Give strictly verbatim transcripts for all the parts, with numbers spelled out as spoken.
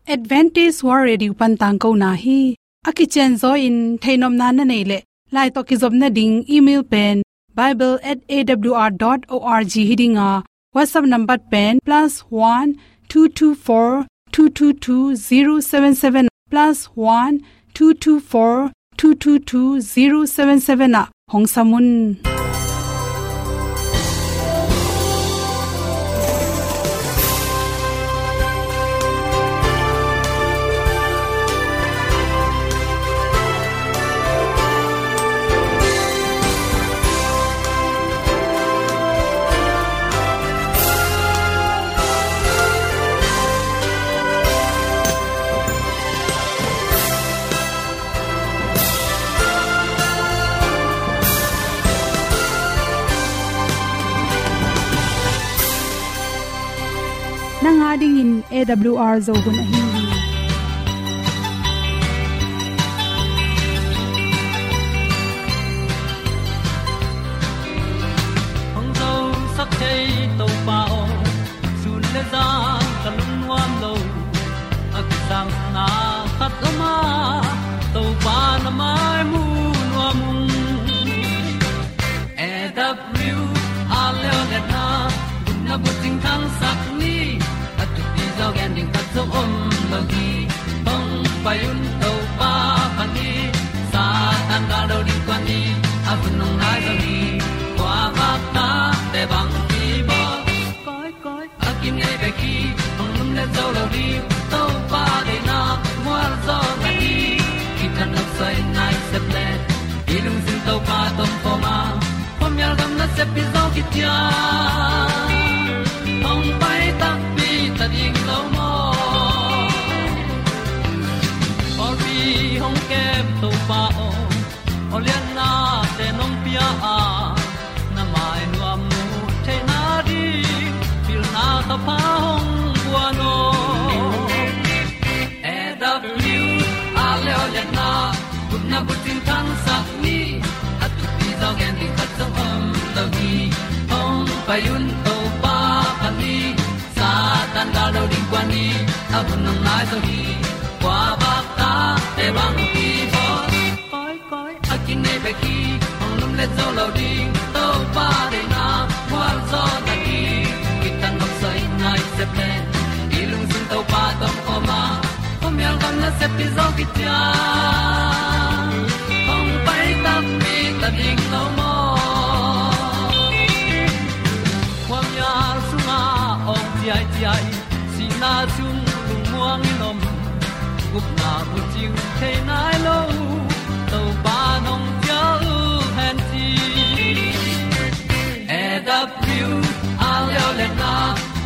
Adventist World Radio pan tangkona hi. A kicianzaw in theihnopna na neih leh, lai tawh kizopna ding email pen bible at A W R dot org hi ding a, WhatsApp number pen plus one two two four two two two zero seven seven, plus one two two four two two two zero seven seven ah hong sam un. Nang a dingin A W R Zo hun ahi hi. Hong zosak thei Topa aw, sun le zan ka lungnuam lo. A kisangna khat om a, Topa na mai mu nuam ung. A W R Leonetna, gupna bucing thangsak ni, a thupi zaw gen ding khat zong om lo hi. Hong pai un Topa pan hi, Satan gal do ding tuan ni, a hun hong nai zo hi. Kua vak ta te bang hi bawl. Koi, koi, a kinei bek hi, hong lum le zo lo ding, Topa deihna mual zaw na hi. Kitang nok soi nai sep le, i lungsim Topa tawh om a, khuamial gam nasep pi zaw kician, hong pai takpi ta ding lo maw. Pawlpi hong kem Topa aw, aw liannate nong pia a, na mai nuam mu theihna ding, pilna ka pha hong guan aw. A W R Leonetna, gupna bucing thangsak ni, a thupi zaw gen ding khat zong om lo hi. Hong pai un Topa pan hi, Satan gal do ding kuan hi, a hun hong nai zo hi. Kua vak ta te bang hi bawl. Koi, koi, a kinei bek hi, hong lum le zo lo ding, Topa deihna mual zaw na hi. Kitang nok soi nai sep le, i lungsim Topa tawh om a, khuamial gam nasep pi zaw kician, hong pai takpi ta ding lo maw. Khuamial sungah awng ciaiciai, sihna sung lungmuang in om, gupna bucing thei nai lo, Topa nong cial hen ci. A W R Leonetna,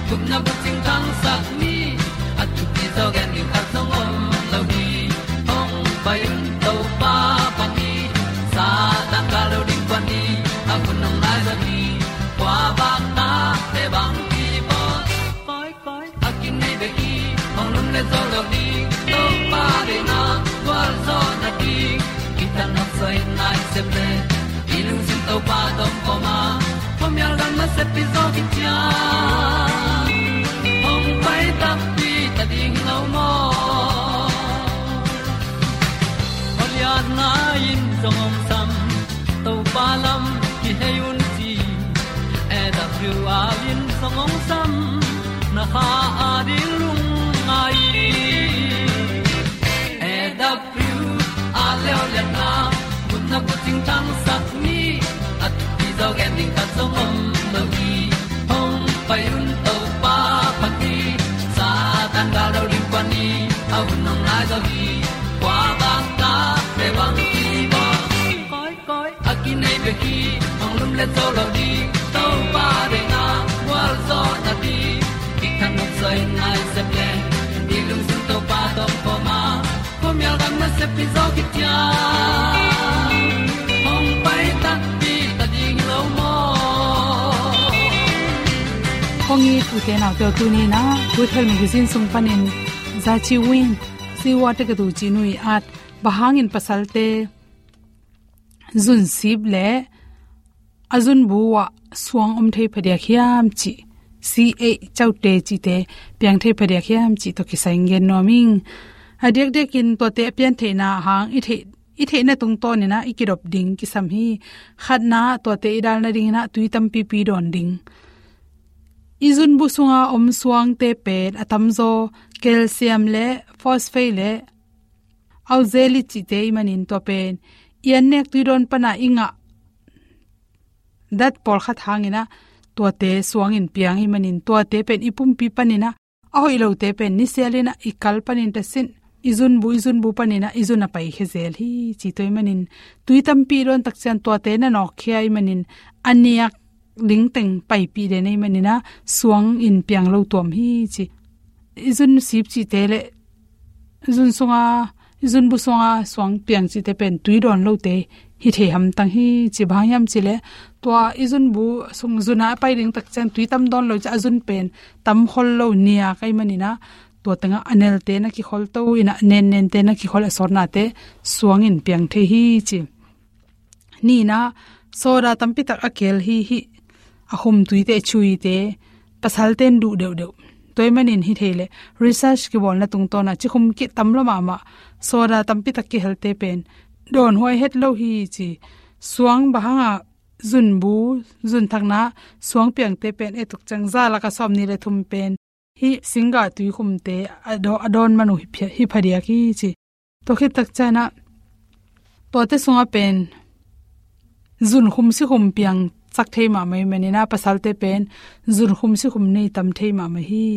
gupna bucing thangsak ni, a thupi zaw gen ding khat zong om lo hi. Hong pai un Topa pan hi, Satan gal do ding kuan hi, a hun hong nai zo hi. Kua vak ta te bang hi bawl. Koi, koi, a kinei bek hi, hong lum le zo lo ding, Topa deihna gualzawhna ding. Kitang nok soi nai sep le, i lungsim Topa tawh om a, khuamial gam nasep pi zaw kician, hong pai takpi ta ding lo maw. Aw liatna in zong hong sam, Topa lam kihei un ci. A W R in zong hong sam, na kha a ding lungngai. A W R Leonetna, gupna bucing thangsak ni, a thupi zaw gen ding khat zong om lo hi. Hong pai un Topa pan hi, Satan gal do ding kuan hi, a hun hong nai zo hi. Kua vak ta te bang hi bawl. Koi, koi, a kinei bek hi, hong lum le zo lo ding, Topa deihna gualzawhna ding. Kitang nok soi nai sep le, i lungsim Topa tawh om a, khuamial gam nasep pi zaw kician, hong pai takpi ta ding lo maw. Kong it ute naute aw, tuni-in ah Good Health Magazine sung panin Zaci Win, Siwa Tekatu ci nu i at, bang hangin pasalte zunsip le a zunbu ah suang om thei phadiak hiam cih C A caute cihte piang thei phadiak hiam cih tawh kisai in gen nuam ing. A diakdiakin tuate a piantheihna hang i theih, i theihna tungtawnin ah i kidop ding kisam hi. Khatna, tuate i dal nadingin ah tui tampipi dawn ding. I zunbu sunga om suangte pen a tamzaw calcium le phosphate le oxalate cihte ahih manin tua pen i annek tui dawn pana i ngah dat pawlkhat hangin ah tuate suangin piang ahih manin tuate pen i pumpi panin ah a hoih lote pen nisialin ah i kal panin tasin i zunbu, i zunbu panin ah i zun a paikhia zel hi ci. Tua ahih manin tui tampi i dawn tak ciang tuate na nawkkhia ahih manin a niak ding teng paipih den ahih manin ah suangin piang lo tuam hi ci. I zun sip cihte le zun sunga, i zunbu sunga suang piang cihte pen tui dawn lote hi thei hamtang hi ci. Bang hang hiam cih leh tua i zunbu sung zun a pai ding tak ciang tui tam dawn lo ciang a zun pen tam khol lo, niak ahih manin ah tua tengah a nelte na kikhol to in ah nennente na kikhol, a sawtnate suangin piang thei hi ci. Nihna, soda tampi tak a kel hi, hih a khum tuite, chuite pasalte in duh deuhdeuh. Tua ahih manin hi thei leh research kibawlna tungtawn ah cikhum kitam lo mahmah soda tampi tak kihelte pen dawnhuai het lo hi ci. Suang bang hangah zunbu, zunthakna suang piangte pen et tuk ciang za lak a sawmnih le thum pen hih singgah tuikhumte a daw-, a dawn man uh hi phia-, hi phadiak hi ci. Tua khit tak ciang ah tuate sungah pen zunkhum sikhum piangsak thei mahmah ahih manin ah pasalte pen zunkhum sikhum nei tam thei mahmah hi.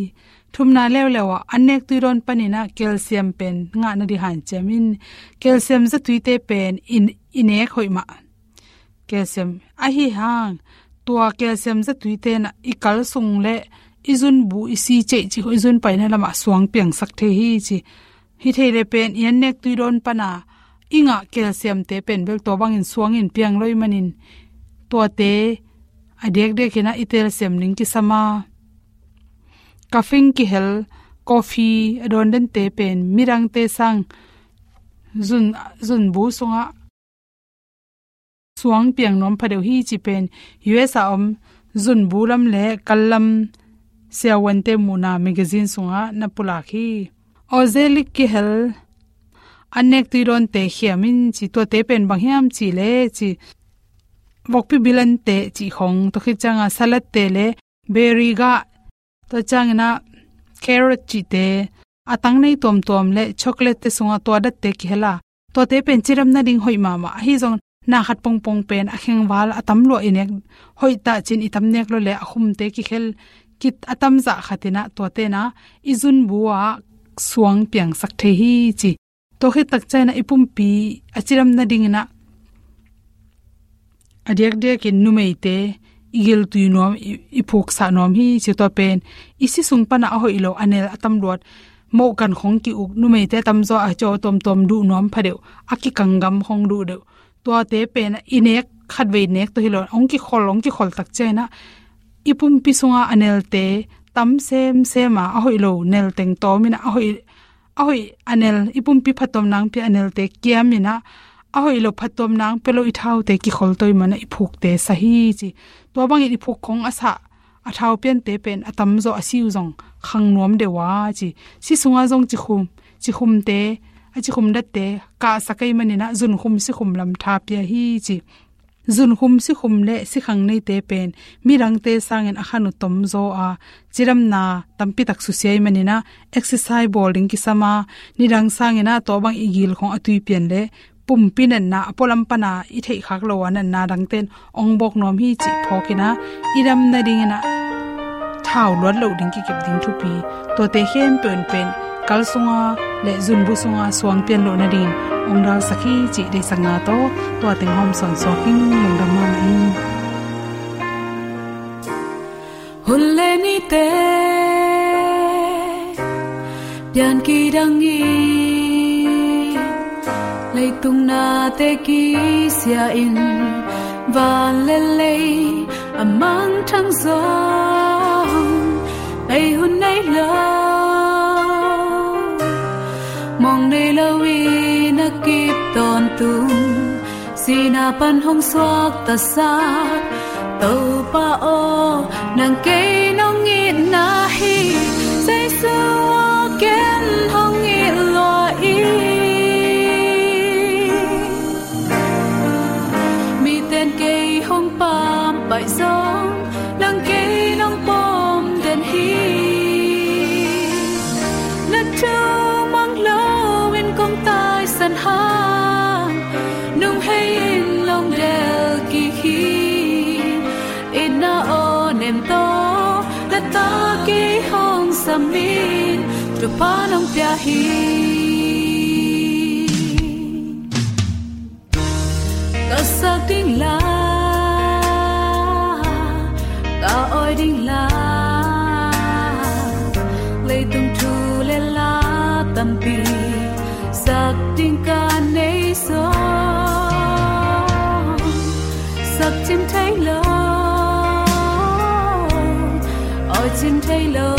Thumna leuleu ah annek tui dawn panin ah calcium pen ngah nading hanciam in. Calcium zatuite pen i, i nek hoih mah. Calcium ahi hang, tua calcium zatuite in ah i kal sung le i zunbu, i si ceih cih khawng, i zun paina lamah suang piangsak thei hi ci. Hi thei leh pen i annek tui dawn pana i ngah calciumte pen bel tua bangin suangin piang lo ahih manin tuate a diakdiakin ah i telsiam ding kisam a, caffeine kihel coffee a dawn dente pen midangte sang zun, zunbu sungah suang piang nuam phadeuh hi ci pen U S a om zunbu lam le kal lam siavuante muhna magazine sungah na pulak hi. Oxalic kihel annek tui dawnte khiam in ci. Tuate pen bang hiam cih leh ci, vokpi bilante cih khawng, tua khit ciang ah salatte le berry gah, tua ciangin ah carrot cihte, a tang nei tuamtuam le chocolate te sungah tua datte kihel a, tuate pen cidam nading hoih mahmah. Ahi zong na khat pongpong pen a khengval a tam lua i nek hoih ta ci-in i tam nek lo leh a khumte kikhel kit a tamzah khat in ah tuate in ah i zunbu ah suang piangsak thei hi ci. Tua khit tak ciang ah i pumpi a cidam nadingin ah a diakdiakin numeite i giltui nuam, i, i phuksah nuam hi ci. Tua pen i si sung pana a hoih lo a nel a tam luat, moh kan khawng ki-uk, numeite a tamzaw a caw tuamtuam duh nuam phadeuh, a kikang gam khawng duh deuh. Tuate pen i nek khatvei nek tawh hi lo, hong kikhol, hong kikhol tak ciang ah i pumpi sunga a nelte tam semsem a, a hoih lo nel teng tawm in ah a hoih, a hoih a nel, i pumpi phattuam nang pia a nelte kiam in ah a hoih lo phattuam nang pia lo i thaute kikhol to ahih manin ah i phukte sa hi ci. Tua bangin i phuk khawng a sah a thau piante pen a tamzaw a si uh zong khang nuam deuh a ci. Si sungah zong cikhum, cikhumte, a cikhum datte kahsak ahih manin ah zunkhum sikhum lam tha pia hi ci. Zunkhum sikhum le sikhang neite pen midangte sangin a khan uh tomzaw a, cidamna tampi tak susia ahih manin ah exercise bawl ding kisam a, nidang sangin ah tua bang i gil khawng a tuipian le pumpi natna, a pualam pana i theihkhak lo a natna dangte in hong bawk nuam hi cih phawk in ah i dam nadingin ah thau luat loh ding kikep ding thupi, tuate khempeuh in pen kal sunga le zunbu sunga suang pian loh nadingin hong dalsak hi cih deihsakna tawh tua teng hawm sawnsuak ing. Lungdam mahmah ing. Hun le nite pian kidang in, leitung nate kisia in, van le lei a mangthang zong, ei hun nei lo, mawng nei lo in a kip tawntung, sihna pan hong suaktasak Topa aw, nang kei nong itna hi, Jesu aw ken hong it lua in. Miten kei hong pampaih zong, nang kei nong pom den hi. Na thu mang lo in kong taisan hang, nung hei in long del kik hi. Itna aw nem tawh, na ta kei hong sam in, Topa nong pia hi. Ka sak ding la, ka awi ding la, leitung thu le la tampi sak ding ka nei zong, sak cin thei lo, awi cin thei lo,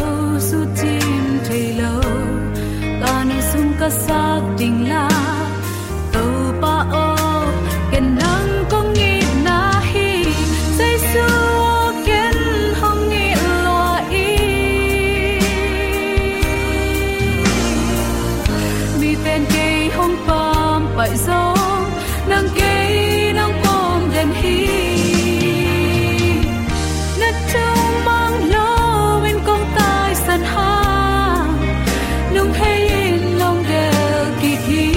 sut cin thei lo, ka nung sung ka sak ding la, Topa aw, ken nang kong itna hi, Jesu aw ken hong it lua in. Miten kei hong pampaih zong, nang kei nong pom den hi. Na thu mang lo in kong taisan hang, nung hei in long del kik hi.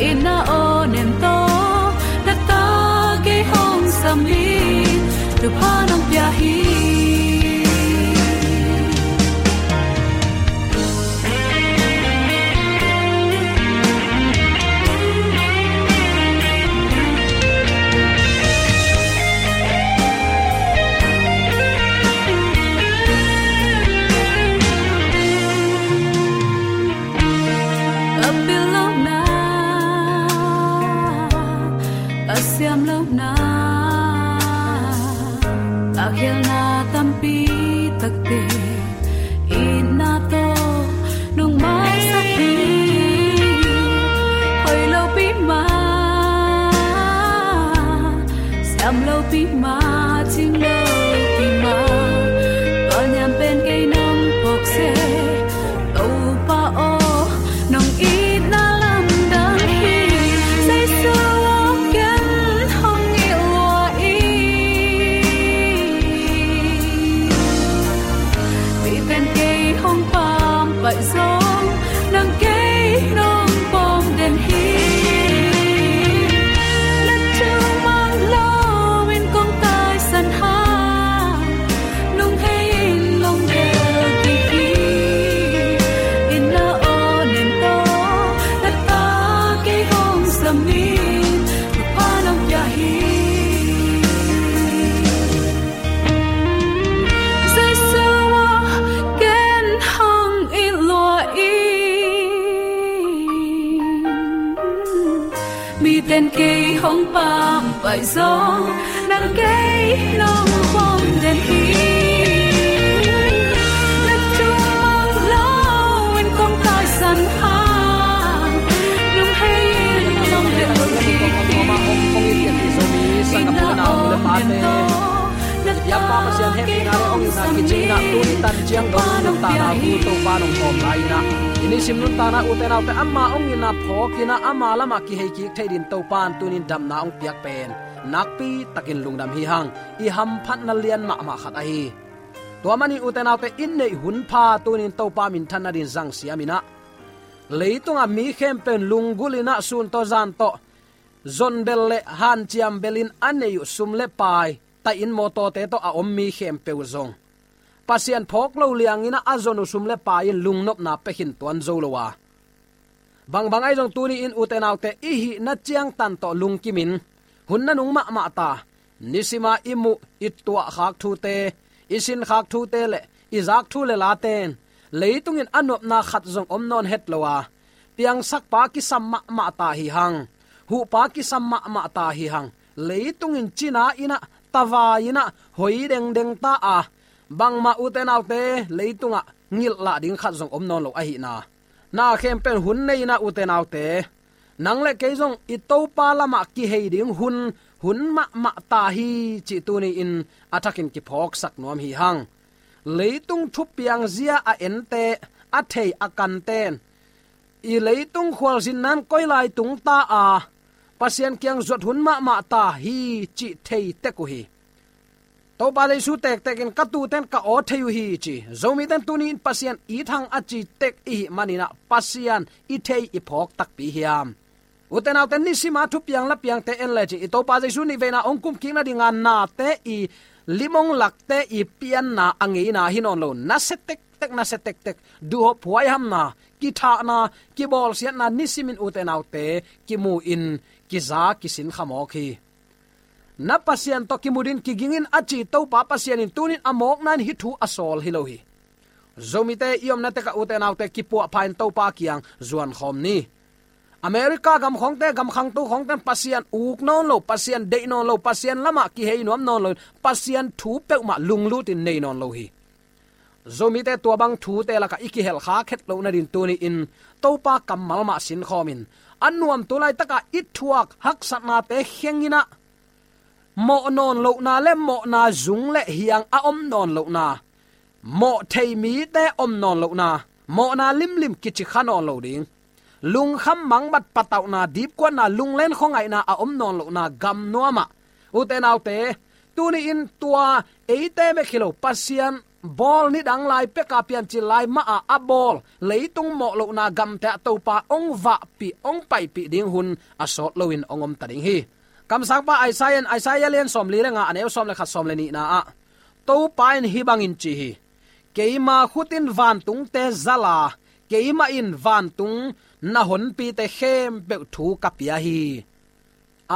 Itna aw nem tawh, na ta kei hong sam in, Topa nong pia hi. Ka pil lohna, ka siam lohna, ka khialna tampi takte, itna tawh nong maisak hi. Hoih lopi mah, siam lopi mah, cing lopi mah, tua niam pen kei nong phawk seh, Topa aw, nong itna lamdang hi. Jesu aw ken hong it lua in. Miten kei hong pampaih zong, nang kei nong pom den hi. Na thu mang lo in kong taisan hang, nung hei in long del kik hi. Itna aw nem tawh, na ta kei hong sam in, Topa nong pia hi. Jesu aw ken hong it lua in. Miten kei hong pampaih zong, nang kei nong pom den hi. Na thu mang lo in kong taisan hang, nung hei in long del kik hi. Itna aw nem tawh, na ta kei hong sam in, Topa nong pia hi. I nisim nuntakna ute naute ama hong itna phawk in ah ama lamah kihei kik thei dingin Topa in tuni-in damna hong piak pen nakpi takin lungdam hi hang. I hamphatna lian mahmah khat ahi. Tua manin ute naute, i neih hun pha tuni-in Topa minthanna dingin zang siam in ah, leitungah mi khempeuh in lunggulh in ah sun tawh zan tawh zonbel le hanciam bel in a neih uh sum le pai, taih inn mawtawte tawh a om mi khempeuh uh zong Pasian phawk lo liang in ah a zon uh sum le pai in lungnopna pia khin tuan zo lo a, bangbang ahi zong tuni-in ute naute, i hihna ciangtan tawh lungkim in, hun nanung mahmah ta, nisim a i muh i tuahkhak thute, i sinkhak thute le i zak thu le late in leitung in a nopna khat zong om nawn het lo a, piangsakpa kisam mahmah ta hi hang, huhpa kisam mahmah ta hi hang, leitung in cina in ah, tavai in ah hoi dengdeng ta a, bangmah ute naute leitungah ngilh lah ding khat zong om nawn lo ahihna, na khempeuh in hun nei in ah ute naute, nang le kei zong i Topa lamah kihei ding hun, hun mahmah ta hi cih tuni-in a thakin kiphawksak nuam hi hang. Leitung thupiang zia a ente, a thei a kanten, i leitung khualzinna'n koi lai tung ta a, Pasian kiang zuat hun mahmah ta hi cih thei tek uh hi. Topa Jesu tektekin ka tute'n ka aw thei uh hi ci. Zomite'n tuni-in Pasian it hang a ci tek i hih manin ah Pasian i thei i phawk takpi hiam? Ute naute, nisima thupiang la piangte en lecin i Topa Jesu nihveina hong kumkik nadinga nate i lim hong lakte i pianna a ngeina hi nawn lo. Nasia tektek, nasia tektek. Duhhop huaihamna, kithahna, kibawlsiatna nisimin ute naute kimu-in kiza kisin khamawk hi. Na Pasian tawh kimu dingin kiging in a ci Topa Pasian in tuni-in a mawkna-in hih thu a sawl hi lo hi. Zomite i omna tekah ute naute kipuahpha in Topa kiang zuan khawm ni. America gam khawngte, gam khangto khawngte'n Pasian uk nawn lo, Pasian deih nawn lo, Pasian lamah kihei nuam nawn lo, Pasian thu peuhmah lunglut in nei nawn lo hi. Zomite tua bang thute lakah i kihelkha khet loh nadingin tuni-in Topa kammal mah sinkhawm in, a nuam tu laitakah i thuak haksatnate kheng in ah, mawh nawn lohna le mawhna zung le hiang a om nawn lohna, mawh thei mite om nawn lohna, mawhna limlim kici kha nawn lo ding, lungkham mangbat patauhna, dipkuatna, lunglen khuangaihna a om nawn lohna gamnuam ah, ute naute, tuni-in tua eite bek hi lo, Pasian bawl nidang lai peka piancil lai mah a a bawl leitung mawh lohna gamte ah Topa hong vahpih, hong paipih ding hun a sawt loin hong om ta ding hi. Kamsangpa Isaiah in, Isaiah lian sawmli le nga, a neu sawm le khat, sawm le nihna ah, Topa in hih bangin ci hi: Keima khut in vantungte zal a, keimah in vantung na honpite khempeuh thu ka pia hi.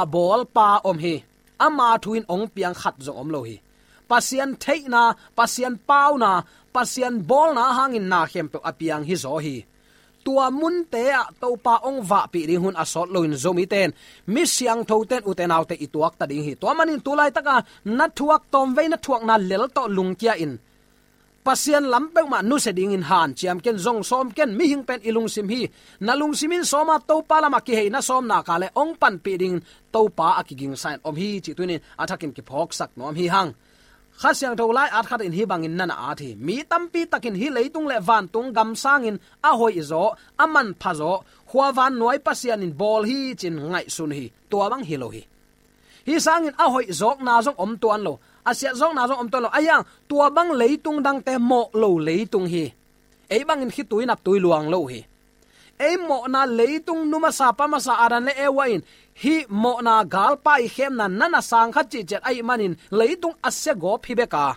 A bawlpa om hi. Ama thu in hong piang khat zong om lo hi. Pasian theihna, Pasian pauna, Pasian bawlna hangin na khempeuh a piang hi zaw hi. Tua munte ah Topa hong vahpih ding hun a sawt loin Zomite'n, mi siangthote'n, ute naute, i tuak ta ding hi. Tua manin tu laitaka na thuak tawmvei, na thuakna lel tawh lungkia in, Pasian lam peuhmah nusia dingin hanciam ken, zong sawm ken, mihing pen i lungsim hi. Na lungsim in sawm a, Topa lamah kihei na sawm nak leh hong panpih dingin Topa a kigingsa in om hi cih tuni-in a thakin kiphawksak nuam hi hang. Kha Siangtho lai-at khat in hih bangin na na at hi: Mi tampi takin hih leitung le vantung gam sangin a hoihzaw, a manphazaw khuavannuai Pasian in bawl hi ci-in ngaihsun hi. Tua bang hi lo hi. Hih sangin a hoihzawkna zong om tuan lo, a siatzawkna zong om tuan lo. Ahi hang tua bang leitung dangte mawh lo leitung hi. Ei bangin khitui naptui luang lo hi. Ei mawhna leitung, nu masa pa masa Adam le Eva in hih mawhna galpa i khemna na na sang kha cihciat ahih manin leitung a sia gawp hi bek a,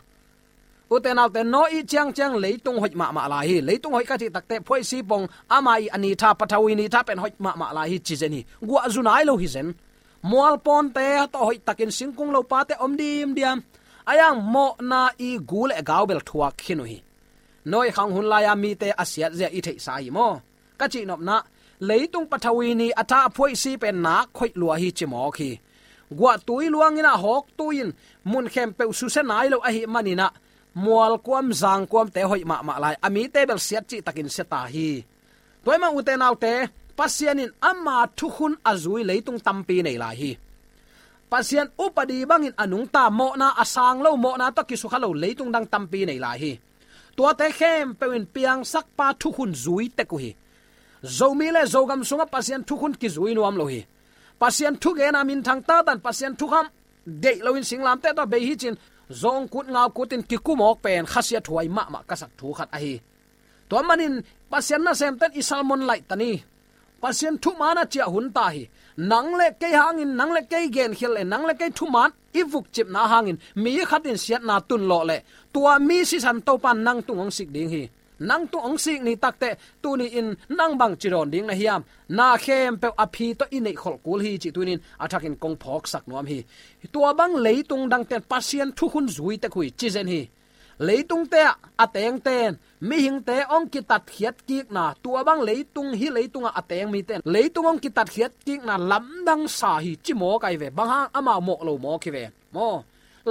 ute naute, Noah i ciangciang leitung hoih mahmah lai hi. Leitung hoih ka cih takteh phuaisi pong, ama i a ni tha, pathawi ni tha pen hoih mahmah lai hi ci zen hi. Guah zu nai lo hi zen. Mualpawnte tawh hoih takin singkung lopate om dimdiam. Ahi hang mawhna i gu le gau bel thuak khin uh hi. Noah khang hun lai-a mite a siatzia i theihsa hi maw? Ka cihnopna, leitung pathawi ni a tha, a phuaisi pen nak hoih lua hi ci mawk hi. Guahtui luangin ah, hawktui in mun khempeuh susia nai lo ahih manin ah, mualkuam zangkuamte hoih mahmah lai, a mite bel siat cihtakin sia ta hi. Tua ahih manin ute naute, Pasian in ama thukhun a zui leitung tampi nei lai hi. Pasian upadi bangin a nungta, mawhna a sang lo, mawhna tawh kisukha lo leitung dang tampi nei lai hi. Tuate khempeuh in piangsakpa thukhun zui tek uh hi. Zomi le Zogam sungah Pasian thukhun kizui nuam lo hi. Pasian thugena minthang tatan, Pasian thukham deih loin singlamteh tawh bei hi ci-in zawngkut ngaukutin kikum awk pen khasiathuai mahmah ka sak thu khat ahi. Tua manin Pasian nasemte'n i sermon laih ta ni. Pasian thuman a ciah hun ta hi. Nang le kei hangin, nang le kei genkhial le nang le kei thuman i vukcipna hangin mi khat in siatna tun lawh leh, tua mi sisan Topa'n nang tung hong sik ding hi. Nang tung hong sik ni takteh, tuni-in nang bangci dawn ding na hiam? Na khempeuh a phi tawh i neihkholh kul hi cih tuni-in a thakin kong phawksak nuam hi. Tua bang leitung dangte'n Pasian thukhun zui tek uh hi ci zen hi. Leitungte ah a tengte'n mihingte hong kitatkhiat kikna, tua bang leitung, hih leitungah a teng mite'n leitung hong kitatkhiat kikna lamdang sa hi ci mawk ahi ve. Bang hang? Amau mawh lo mawk hi ve maw.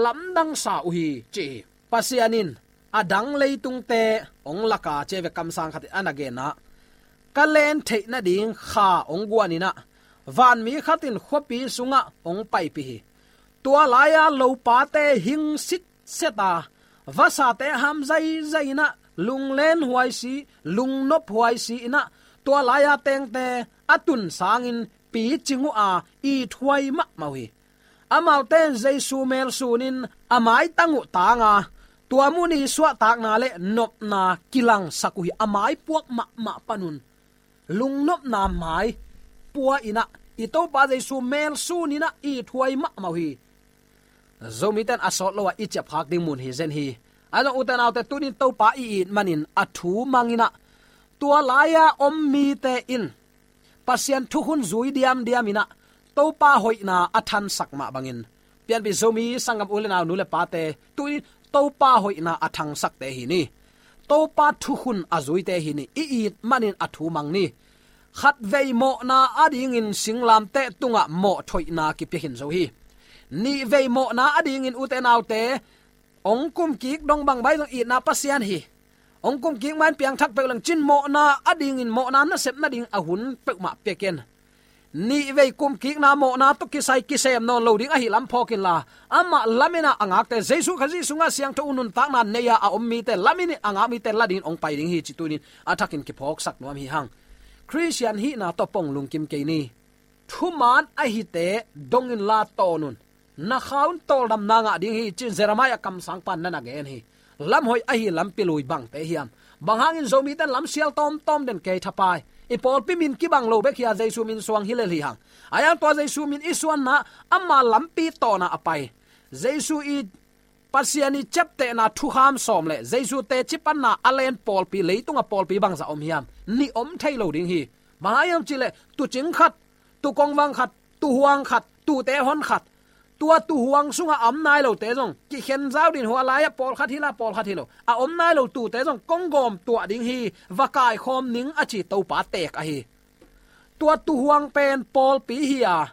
Lamdang sa uh hi ci hi. Pasian in a dang leitungte hong lak a, ci hi ve, kamsang khat in a na gen ah, ka len theih nading kha hong guan in ah, vanmi khat in khuapi sungah hong paipih hi. Tua lai-a lopate hing sitset a, vasate ham zaizai inah, lunglen huai si, lungnop huai si inah, tua lai-a tengte a tun sangin picing uh a, ithuai mahmah uh hi. Amaute in Jesu melsunin a maitang uh tanga, tua mun i suahtakna le nopna kilangsak uh hi. A maipuak mahmah panun lungnopna mai pua inah, i Topa Jesu melsun inah ithuai mahmah uh hi. Zomite in a sawt lo-a i ciapkhak ding mun hi zen hi. Ahi zong ute naute, tunin Topa i it manin a thu mang inah, tua lai-a om mite in Pasian thukhun zui diamdiam inah, Topa hoihna a thansak mah bangin, pianpih Zomi sanggam u le nau, nu le pate, tunin Topa hoihna a thangsakte hi ni. Topa thukhun a zuite hi ni. I it manin a thu mang ni. Khatvei mawhna adingin singlamteh tungah mawh thoihna kipia khin zo hi. Nihvei mawhna adingin ute naute, ong kumkik dong bang bai zong itna Pasian hi. Ong kumkik main piangthak peuh leng cin mawhna adingin, mawhna nasep nading a hun peuhmah pia ken. Nihvei kumkikna mawhna tawh kisai kisem nawn lo ding ahi lam phawk inla, amah lamen a ngakte, Jesu Khazih sungah siangtho uh nuntakna nei-a a om mite, lamen a ngak mite la dingin ong pai ding hi, ci tunin a thakin kiphawksak nuam hi hang. Khristian hihna tawh pong lungkim kei ni. Thuman ahite dong inla tawn un. Na kha un tawldamna ngah ding hi, ci-in Jeremiah kamsangpa in na na gen hi. Lamhoih ahi lampi lui bangte hiam? Bang hangin Zomite in lamsial tawmtawm den kei thapai? I pawlpi min kibang lo bek hi a, Jesu min suang hi lel hi hang. Ahi hang tua Jesu min i suanna, ama lampi tawna a pai. Jesu i Pasian i ciaptehna thukham sawm le Jesu teci panna a len pawlpi, leitunga pawlpi bangzah om hiam? Nih om thei lo ding hi. Bang hang hiam cih leh, tuucing khat, tuukongvang khat, tuuhuang khat, tuute hon khat. Tua tuuhuang sunga a om nai lote zong kikhen zau din, hua lai-ah pawlkhat hi la, pawlkhat hi lo, a om nai lo tuute zong konggawm tuah ding hi, va kaikhawm ning, a ci Topa teek ahi. Tua tuuhuang pen pawlpi hi a,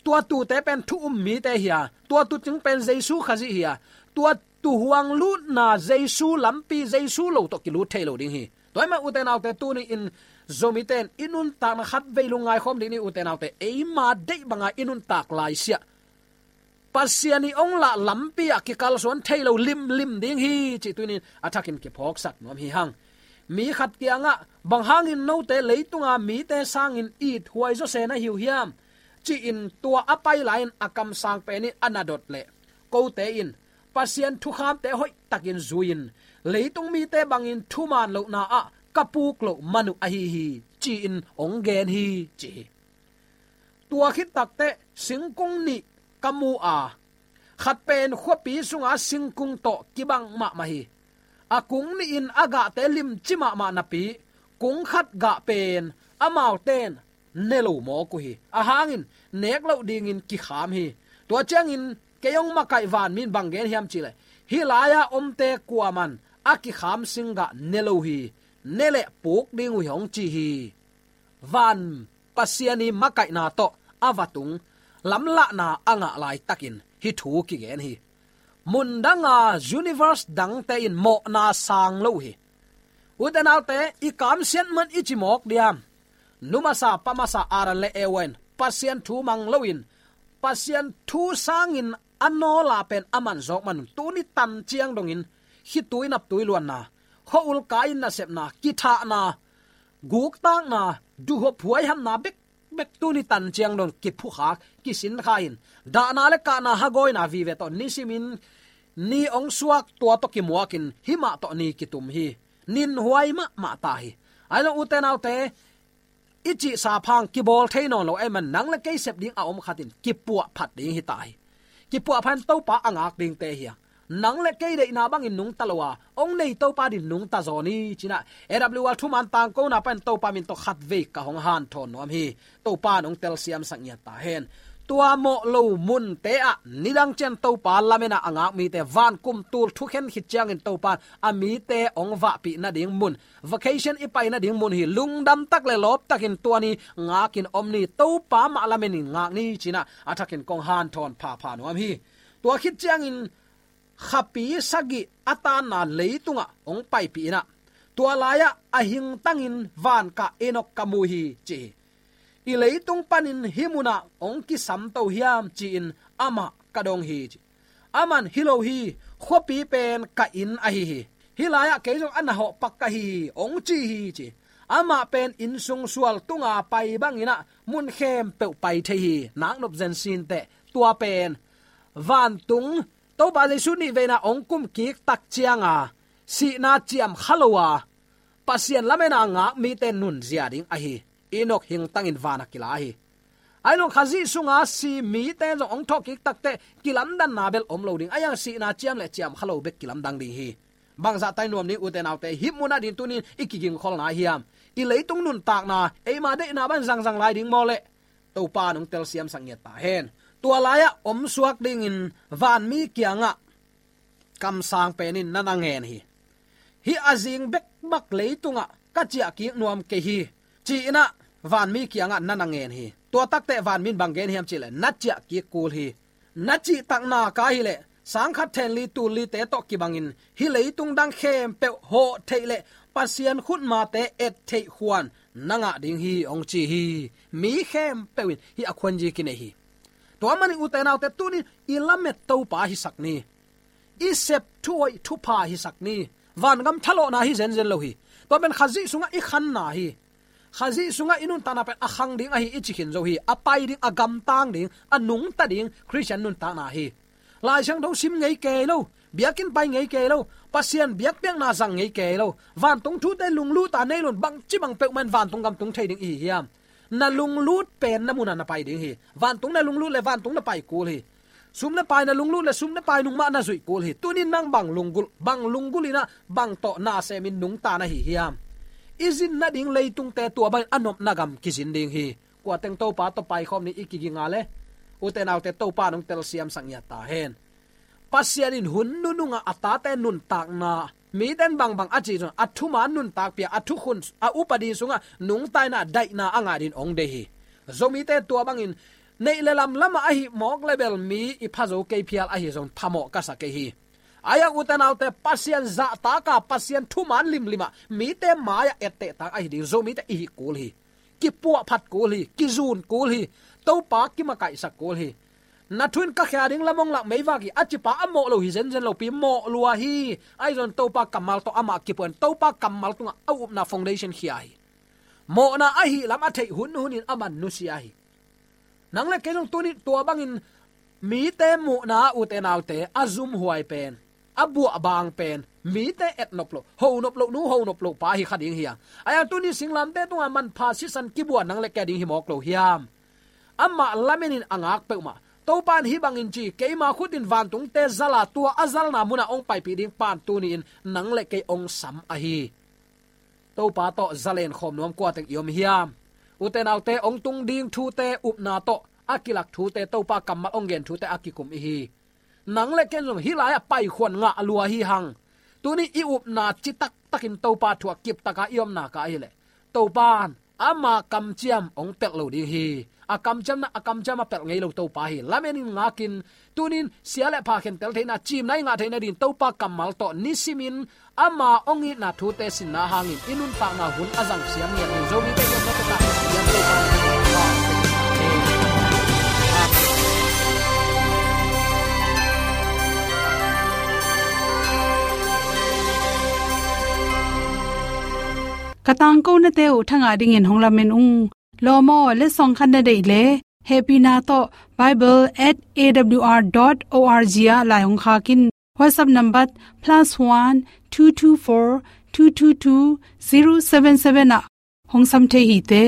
tua tuute pen thu um mite hi a, tua tuucing pen Jesu Khazih hi a, tua tuuhuang lutna Jesu lampi, Jesu lo tawh kilut thei lo ding hi. Tua ahih manin ute naute, tuni-in Zomite in i nuntakna khatvei lungngai khawm ding ni ute naute, eima deih banga i nuntak laisiah Pasian i ong lah lampi ah kikalsuan thei lo limlim ding hi, cih tunin a thakin kiphawksak nuam hi hang. Mi khat kiangah, bang hangin note leitunga mite sangin ithuai zawse na hi uh hiam? Ci-in tua a pai lai-in a kamsang pen in a na dot leh, kote in Pasian thukhamte hoihtakin zui-in, leitung mite bangin thuman lohna ah ka puk loh man uh ahi hi, ci-in ong gen hi, ci hi. Tua khit takteh singkung nih ka mu a, khat pen khuapi sunga singkung tawh kibang mahmah hi. A kung nih in a gahte limci mahmah napi, kung khat gah pen amaute in ne lo mawk uh hi. A hangin nek loh dingin kikham hi. Tua ciangin kei ong makaih vanmi in bang gen hiam cih leh, hih lai-a omte kuaman a kikham singgah ne lo hi. Ne leh puk ding uh hi, ong ci hi. Van Pasian i makaihna tawh a va tung, lamlahna a ngah laitakin hih thu kigen hi. Mundanga universe dangte in mawhna sang lo uh hi. Ute naute, i kamsiat man i ci mawk diam? Nu masa, pa masa Adam le Eva in Pasian thu mang loin, Pasian thu sangin a nawla pen a man zawk man un, tuni tan ciang dongin khitui naptui luanna, khua-ul kai-in nasepna, kithahna, guktakna, duhhuap huaihamna bekbek tuni tan ciang dong kiphukhak, kisinkha in, dahna le kahna hagawina vive tawh nisimin ni ong suak, tua tawh kimuakin hih mah tawh ni kitum hi. Ninhuai mahmah ta hi. Ahi zong ute naute, i cihsa phang kibawl thei nawn lo ahih man, nang le kei sep ding a om khat in kipuah phat ding hi ta hi. Kipuah phat in Topa a ngak dingte hi a, nang le kei deihna bangin nungta lo a, ong nei Topa din nungta zaw ni, ci-in ah A W R thuman tangkona pan Topa min tawh khatvei ka hong hanthawn nuam hi. Topa in ong telsiamsak ngiat ta hen. Tua mawh lo munte ah nidang ciang Topa lamen a a ngak mite, van kum tul thukhen khit ciangin Topa in a mite ong vahpih nading mun, vacation i pai nading mun hi. Lungdam tak le lawp takin tua ni ngakin om ni, Topa mah lamen in ngak ni, ci-in ah a thakin kong hanthawn phapha nuam hi. Tua khit ciangin khapi sagih a tanna leitungah ong paipih in ah, tua lai-ah a hingtangin vankah Enok ka mu hi, ci hi. I leitung panin hih munah ong kisamto hiam, ci-in amah ka dong hi, ci. Aman hi lo hi, khuapi pen ka inn ahi hi. Hih lai-ah kei zong a na hawh pak ka hi hi, hong ci hi ci. Amah pen inn sung sual tunga pai bangin ah mun khempeuh pai thei hi. Naknop zen sinteh, tua pen vantung Topa Jesu nihveina hong kum kik tak cianga sihna ciam kha lo a, Pasian lamena ngak mite nunzia ding ahi. Enok hingtangin vana kila hi. Ahi zong Khazih sunga si mite zong hong thawhkik takteh kilamdanna bel om lo ding. Ahi zong sihna ciam le ciam kha lo bek kilamdang ding hi. Bangzah tai nuam ding ute naute, hih munah ding tunin i kigingkholna hiam? I leitung nuntakna eima deihna bang zangzang lai ding maw le? Topa nong telsiamsak ngiat ta hen. Tua lai-ah omsuak dingin vanmi kiangah kamsang penin na na ngen hi. Hih a zing bekbak leitungah ka ciahkik nuam kei hi, ci-inah vanmi kiangah na na ngen hi. Tua takteh vanmin bang gen hiam cihleh, na ciahkik kul hi. Na cihtakna ka hileh sangkhat thenli tullite tawh kibangin hih leitung dang khempeuh hawh theih le Pasian khutmate et theih khuan na ngah ding hi, hong ci hi. Mi khempeuh in hih a khuanzi kinei hi. Tua manin ute naute, tunin i lamet Topa hisak ni. I sep thuhoih thupha hisak ni. Vangam thalawhna hi zenzen lo hi. Tua pen Khazih sungah i khanna hi. Khazih sungah i nuntakna pen a khang ding ahi i ci khin zo hi. A pai ding, a gamtang ding, a nungta ding Khristian nuntakna hi. Lai Siangtho sim ngei kei lo, biakinn pai ngei kei lo, Pasian biakpiakna zang ngei kei lo, vantung thute lungluta nei loin bangci bang peuhmah in vantung gam tung thei ding i hi hiam? Na lunglut pen na munah na pai ding hi. Vantung na lunglut le vantung na pai kul hi. Sum le pai na lunglut le sum le pai nung mah na zuih kul hi. Tunin nang bang lunggulh, bang lunggulh inah bang tawh na semin nungta na hi hiam? I zin nading leitungte tua bangin a nopna gam kizin ding hi. Kuateng Topa tawh paikhawm ni i kiginga le, ute naute, Topa nong telsiamsak ngiat ta hen. Pasian in hun nunungah a tate nuntakna, miten bangbang a cih zong a thuman nuntakpih a, a thukhun, a upadi sungah nungtaina daihna a ngah dingin hong deih hi. Zomite tua bangin neih le lamlamah ahi mawk le bel mi i pha zo kei phial ahi zong phamawh ka sa kei hi. Ahi zong ute naute, Pasian zahtaka, Pasian thuman limlimah mite mai-ah etteh tak ahi ding Zomite i hi kul hi. Kipuahphat kul hi, kizun kul hi, Topa kimakaihsak kul hi. Na thu in ka khia ding lam hong lak meivak hi, a cipa a mawh lo hi zenzen lopi mawh lua hi. Ahi zong Topa kammal tawh amah kipuan, Topa kammal tungah a upna foundation khia hi. Mawhna ahi lam a theih hunhunin a man nusia hi. Nang le kei zong tunin tua bangin mite muhna ute naute a zumhuai pen, a buahbang pen, mite etnop loh, honop loh nu, honop loh pa hi kha ding hi a. Ahi zong tuni singlamteh tungah manpha sisan kibuan nang le kei ding hi mawk lo hiam? Amah lamenin a ngak peuhmah, Topa in hih bangin ci, keima khut in vantungte zala, tua a zalna munah hong paipih ding pa'n tuni-in nang le kei hong sam ahi. Topa tawh zalen khawm nuam kuateng i om hiam? Ute naute, hong tung ding thute upna tawh a kilak thute, Topa kammal hong gen thute a kikum i hi. Nang le ken zong hih lai-ah paikhuan ngah lua hi hang. Tuni i upna citaktakin Topa thu-ah kiptaka i omna ka ahileh, Topa in ama kamciam hong pelh lo ding hi. A kamciamna, a kamciam a pelh ngei lo Topa hi. Lamenin ngakin, tunin sia le pha khentel theihna, cimna i ngah theihna dingin Topa kammal tawh nisimin ama hong itna thute sinna hangin i nuntakna hun a zang siam ngiat ding Zomite i omna takah i Topa. Ka tangkonate uh thangah dingin hong lamen ung. Lawm aw, letsong khat na deih leh, hehpihna tawh bible at A W R dot O R G ah lai hong khak in. WhatsApp number plus one two two four two two two zero seven seven ah hong sam thei hi te.